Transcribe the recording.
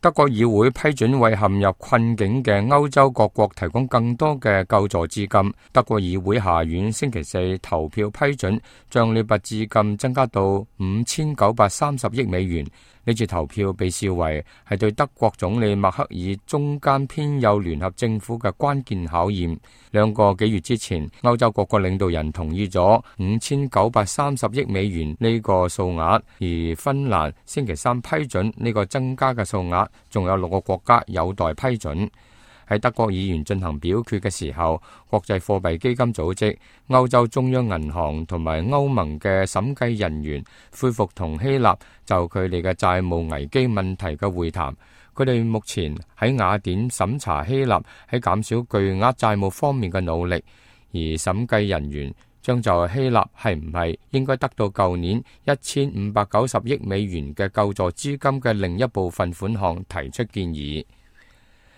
德國議會批准為陷入困境嘅歐洲各國提供更多嘅救助資金。德國議會下院星期四投票批准，將呢筆資金增加到5930億美元。呢次投票被視為係對德國總理默克爾中間偏右聯合政府嘅關鍵考驗。2個幾月之前，歐洲各國領導人同意咗5930億美元呢個數額，而芬蘭星期三批准呢個增加嘅數額，仲有6個國家有待批准。喺德國議員進行表決嘅時候，國際貨幣基金組織、歐洲中央銀行同埋歐盟嘅審計人員恢復同希臘就佢哋嘅債務危機問題嘅會談。佢哋目前喺雅典審查希臘喺減少巨額債務方面嘅努力，而審計人員將就希臘係唔係應該得到舊年1590億美元嘅救助資金嘅另一部分款項提出建議。